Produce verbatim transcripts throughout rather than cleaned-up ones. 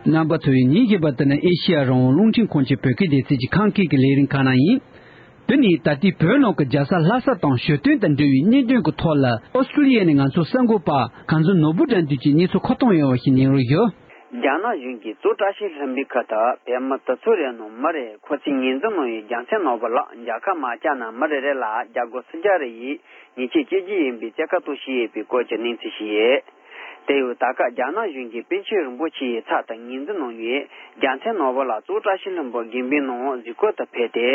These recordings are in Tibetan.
རྣམ་པ་ཚོས་ཉིན་རྒྱུན་པར་དེ་ནི་ཨེ་ཤེ་ཡ་རང་དབང་རླུང་འཕྲིན་ཁང་གི་བོད་སྐད་སྡེ་ཚན་གྱི་ཁམས་སྐད་ཀྱི་ལས་རིམ་ཁག་ནང་ཡིན། དེ་ནི་ད་ལྟའི་བོད་ནང་གི་རྒྱལ་ས་ལྷ་ས་དང་ཞོ་སྟོན་དང་འབྲེལ་བའི་གནད་དོན་གྱི་ཐོག་ལ་ཨོ་སི་ཀྲུ་ལི་ཡ་ནས་ང་ཚོའི་གསར་འགོད་པ་གངས་འཛིན་ནོར་བུ་དགྲ་འདུལ་གྱིས་གནས་ཚུལ་མཁོ་གཏོང་ཡོང་བ་ཞིག་གནང་རོགས་ཞུ། རྒྱ་ནག་གཞུང་གིས་གཙོ་བཀྲ་ཤིས་ལྷུན་པོའི་ཁུལ་དུ་བོད་མི་དེ་ཚོ་རེ་ནང་མི་རེ་ཁོ་ཚོས་ངོས་འཛིན་གནང་བའི་རྒྱལ་མཚན་ནོར་བུ་ལགས་མཇལ་ཁ་མ་བཅར་ན་མི་རེ་རེ་ལ་རྒྱ་སྒོར་སུམ་བརྒྱ་རེ་ཡི་ཉེས་ཆད་གཅོད་རྒྱུ་ཡིན་པའི་བཙན་བཀའ་གཏོང་བཞིན་ཡོད་པའི་སྐོར་གྱི་གནས་ཚུལ་ཞིག་ཡོད། དེ་ཡང་ད་སྐབས་རྒྱ་ནག་གཞུང་གིས་པཎ་ཆེན་རིན་པོ་ཆེ་ཡི་ཚབ་ཏུ་ངོས་འཛིན་གནང་བའི་རྒྱལ་མཚན་ནོར་བུ་ལགས་གཙོ་བཀྲ་ཤིས་ལྷུན་པོ་དགོན་པའི་ནང་གཟིགས་སྐོར་དུ་ཕེབས་ཏེ་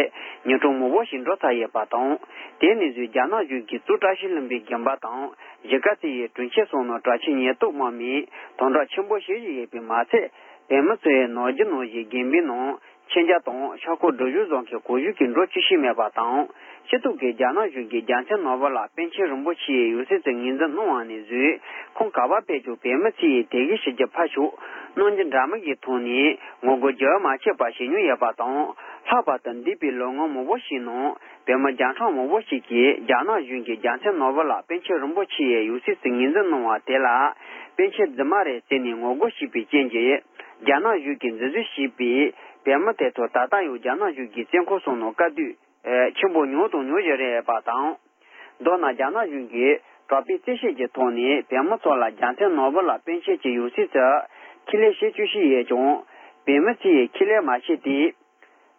ཉིན་གྲངས་མང་པོ་ཞིག་འགྲོ་ཚར་ཡོད་པ་དང་། དེ་ནས་བཟུང་རྒྱ་ནག་གཞུང་གིས་གཙོ་བཀྲ་ཤིས་ལྷུན་པོའི་དགོན་པ་དང་། གཞིས་ཀ་རྩེ་ཡི་དྲུང་ཆེ་སོགས་ནང་དྲག་ཆས་ཉེན་རྟོག་དམག་མིས་དམ་དྲག་ཆེན་པོ་བྱེད་བཞིན་ཡོད་པས་མ་ཚད། བོད་མི་ཚོས་ནང་རྒྱུ་ནང་བཞིན་དགོན་པའི་ནང་མཆོད་མཇལ་དང་ཕྱག་སྐོར་སྒྲུབ་བཞུགས་བཟོ་མཁན་གང་བྱུང་གིས་འགྲོ་བཅུག་བཞིན་མེད་པ་དང་། སྤྱི་བཏང་གི་རྒྱ་ནག་གཞུང་གིས་རྒྱལ་མཚན་ནོར་བུ་ལགས་པཎ་ཆེན་རིན་པོ་ཆེ་ཡི་ཡང་སྲིད་དུ་ངོས་འཛིན་གནང་བ་ནས་བཟུང་ཁོང་ག་པར་ཕེབས་ཀྱང་བོད་མི་ཚོས་དད་གུས་ཞུ་རྒྱུ་ཕར་ཞོག་གནང་རྒྱུ་འདྲ་མིན་གྱི་ཐོག་ནས་ངོ་རྒོལ་རྒྱུན་མ་ཆད་པར་བྱེད་མྱོང་ཡོད་པ་དང་། ལྷག་པར་དུ་འདས་པའི་ལོ་ངོ་མང་པོ་ཞིག་ནང་བོད་མི་བརྒྱ་ཕྲག་མང་པོ་ཞིག་གིས་རྒྱ་ནག་གཞུང་གིས་རྒྱལ་མཚན་ནོར་བུ་ལགས་པཎ་ཆེན་རིན་པོ་ཆེ་ཡི་ཡང་སྲིད་དུ་ངོས་འཛིན་གནང་བ་དེ་ལ་པཎ་ཆེན་རྫུན་མ་རེད་ཟེར་ནས་ངོ་རྒོལ་བྱས་པའི་རྐྱེན་གྱིས། རྒྱ་ནག་གཞུང་གིས་འཛིན་བཟུང་བྱས་པའི་བོད་མི་དེ་ཚོ་ད་ལྟ་ཡང་རྒྱ་ནག་གཞུང་གི་བཙོན་ཁང་སོགས་ནང་དཀའ་སྡུག་ཆེན་པོ་མྱོང་དང་མྱོང་བཞིན་རེད་པ་དང་། མདོར་ན་རྒྱ་ནག་གཞུང་གིས་དྲག་པོའི་བཙན་ཤེད་ཀྱི་ཐོག་ནས་བོད་མི་ཚོ་ལ་རྒྱལ་མཚན་ནོར་བུ་ལགས་པཎ་ཆེན་གྱི་ཡང་སྲིད་དུ་ཁས་ལེན་བྱེད་བཅུག་བཞིན་ཡོད་ཀྱང་། བོད་མི་ཚོས་ཁས་ལེན་མ་བྱས་ཏེ།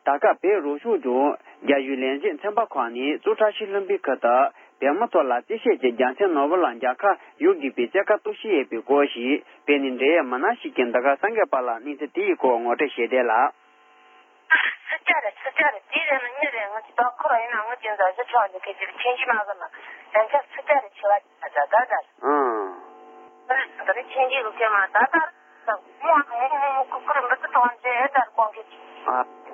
ད་སྐབས་བོད་རང་སྐྱོང་ལྗོངས་རྒྱ་གཞུང་ལས་བྱེད་ཚན་པ་ཁག་ནས་གཙོ་བཀྲ་ཤིས་ལྷུན་པོའི་ཁུལ་དུ་བོད་མི་ཚོ་ལ་བཙན་ཤེད་ཀྱིས་རྒྱལ་མཚན་ནོར་བུ་ལགས་མཇལ་ཁ་ཡོང་དགོས་པའི་བཙན་བཀའ་གཏོང་བཞིན་ཡོད་པའི་སྐོར་ཞིག་བོད་ནས་འབྲེལ་ཡོད་མི་སྣ་ཞིག་གིས་འདི་ག་གསར་འགོད་པ་ལ་གནས་ཚུལ་དེའི་སྐོར་ངོ་སྤྲོད་བྱས་དོན་ལ། སུམ་བརྒྱ་རེད། སུམ་བརྒྱ་རེད། དེའི་རིང་ལ་གཉིས་རེད། ང་ཅི་ད་ཁོ་རང་ཡིན་ན་ང་ཅི་འཛའ་ཞིག་ཆོག་འདི་སྐད་ཅིག་ཆེན་གྱི་མ་གི་ན་ཡང་ཆ་སུམ་བརྒྱ་རེད། ཆེ་བ་ད་ད་ད་ད། ཨང་། ད་ནི་ཆེན་གྱི་རུ་ཁེ་མ་ད་ད་ད་མོ་ཨ་ཁུ་ཁུ་རུ་མི་ཚུ་གྲོང་ཁྱེར་ཨེ་ད་རུ་གོང་གི། ཨ།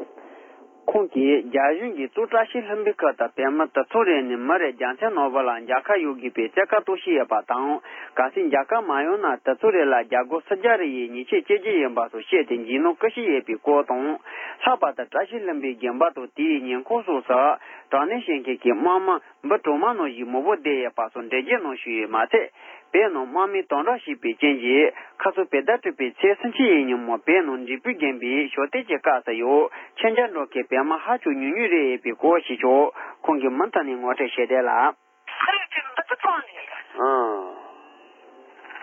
ཁོང་གིས་རྒྱ་གཞུང་གིས་གཙོ་བཀྲ་ཤིས་ལྷུན་པོའི་ཁུལ་དུ་བོད་མི་དེ་ཚོ་རེ་ནས་མི་རེ་རྒྱལ་མཚན་ནོར་བུ་ལགས་མཇལ་ཁ་ཡོང་དགོས་པའི་བཙན་བཀའ་གཏོང་བཞིན་ཡོད་པ་དང་། གལ་སྲིད་མཇལ་ཁ་མ་ཡོང་ན་དེ་ཚོ་རེ་ལ་རྒྱ་སྒོར་སུམ་བརྒྱ་རེ་ཡི་ཉེས་ཆད་གཅོད་རྒྱུ་ཡིན་པ་སོགས་བཤད་དེ་འཇིགས་སྣང་སྐུལ་བཞིན་ཡོད་པའི་སྐོར་དང་། ལྷག་པར་དུ་བཀྲ་ཤིས་ལྷུན་པོའི་དགོན་པ་དང་དེའི་ཉེ་འཁོར་སོགས་སུ་དྲག་གནོན་བྱེད་མཁན་གྱི་དམག་མི་འབུམ་གྲངས་མང་ནང་བཞིན་མང་པོ་བསྡད་ཡོད་པ་སོགས་འགྲེལ་བརྗོད་གནང་བཞིན་ཡོད་མ་ཚད། བོད་ནང་དམག་མིས་དམ་དྲག་བྱས་པའི་རྐྱེན་གྱིས་ཁ་སང་བོད་ཟླ་དྲུག་པའི་ཚེས་སུམ་ཅུ་ཡི་ཉིན་མོ་བོད་ནང་འབྲས་སྤུངས་དགོན་པའི་ཞོ་སྟོན་གྱི་སྐབས་སུ་ཡང་མཆོད་མཇལ་འགྲོ་མཁན་བོད་མི་ཧ་ཅང་ཉུང་ཉུང་རེད་པའི་སྐོར་ཞིག་ཀྱང་ཁོང་གིས་མུ་མཐུད་ནས་ངོ་སྤྲོད་བྱས་དོན་ལ། ཁ་ཡོད་ཀྱི་འབུ་ཚོ་ཚོང་ནས།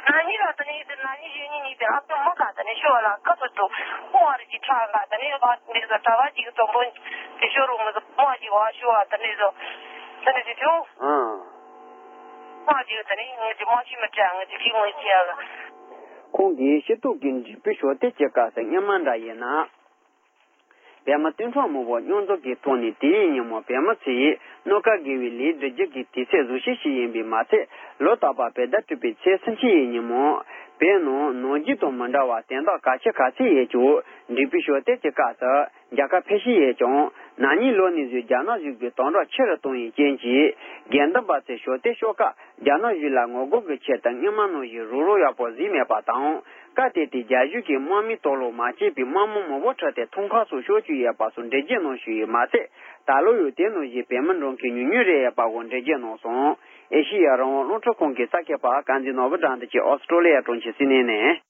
ཨང་། ན་ནིང་ལ་དེ་ནས་དེ་ན་ནིང་གཞེས་ནིང་གཉིས་པའི་ཨ་ཁུ་མོ་ག་དེ་ནས་ཤོ་ལ་ཁ་ཚོ་དུ་ཕོ་བ་རི་གི་ཁྲག་ག་དེ་ནས་ཡོད་པ་འདི་ཚོ་གྲྭ་པ་གཅིག་གི་དོམ་པོ་དེ་ཤོ་རུ་མི་ཚོ་མོ་གཅིག་བ་ཤོ་བ་དེ་ནས་ཚོ་དེ་ནས་དེ་ཚོ། ཨང་། ཁོང་གིས་དེ་ནས་ངོས་ཀྱི་མ་ཤི་མི་དྲན་ངོས་ཀྱི་ཁྱི་ངོས་ཀྱི་ཡ་ལ། ཁོང་གིས་ཤེས་རྟོགས་ཀྱི་འབྲས་སྤུངས་ཞོ་སྟོན་གྱི་སྐབས་སུ་སྔོན་མ་འདྲ་ཡིན་ན། བོད་མི་སྟོང་ཕྲག་མང་པོ་མཉམ་འཛོམས་ཀྱི་ཐོག་ནས་དེའི་ཉིན་མོ་བོད་མི་ཚོས་གནམ་ཁ་བརྒལ་བའི་ལས་སྒྲུབ་རྒྱུ་གི་དུས་ཚོད་བཟང་ཤོས་ཤིག་ཡིན་པས་མ་ཚད། ལོ་རྟག་པར་བོད་ཟླ་དྲུག་པའི་ཚེས་སུམ་ཅུ་ཡི་ཉིན་མོ་བོད་ནང་ནམ་རྒྱུན་དང་མི་འདྲ་བར་དོན་དག་གལ་ཆེ་ག་ཚོད་ཡོད་ཀྱང་འབྲས་སྤུངས་ཞོ་སྟོན་གྱི་སྐབས་སུ། མཇལ་ཁ་ཕེབས་བཞིན་ཡོད་ཀྱང་། ན་ནིང་ལོ་ནས་བཟུང་རྒྱ་ནག་གཞུང་གིས་དམ་དྲག་ཆེ་རུ་བཏང་བའི་རྐྱེན་གྱིས། དགེ་འདུན་པ་ཚོས་ཞོ་སྟོན་ཤོག་ཁག་རྒྱ་ནག་གཞུང་ལ་ངོ་རྒོལ་གྱི་ཆེད་དུ་སྔོན་མ་ནང་བཞིན་རོགས་རམ་ཡག་པོ་བཟོས་མེད་པ་དང་། སྐབས་དེ་དུས་རྒྱ་གཞུང་གིས་དམག་མིའི་དོགས་སློང་མ་བྱས་པའི་དམག་མི་མང་པོ་ཁྲིད་དེ་ཐང་ཁ་སོགས་ཤོར་བཅུག་ཡོད་པ་སོགས་འགྲེལ་བརྗོད་གནང་བཞིན་ཡོད་མ་ཟད། ད་ལོ་ཡང་དེ་ནང་བཞིན་བོད་མི་འགྲོ་མཁན་ཉུང་ཉུང་རེད་ཡོད་པ་སོགས་འགྲེལ་བརྗོད་གནང་སོང་། ཨེ་ཤེ་ཡ་རང་དབང་རླུང་འཕྲིན་ཁང་གི་གསར་འགོད་པ་གངས་འཛིན་ནོར་བུ་དགྲ་འདུལ་གྱིས་ཨོ་སི་ཀྲོ་ལི་ཡ་གྲོང་ཁྱེར་སིད་ནི་ནས།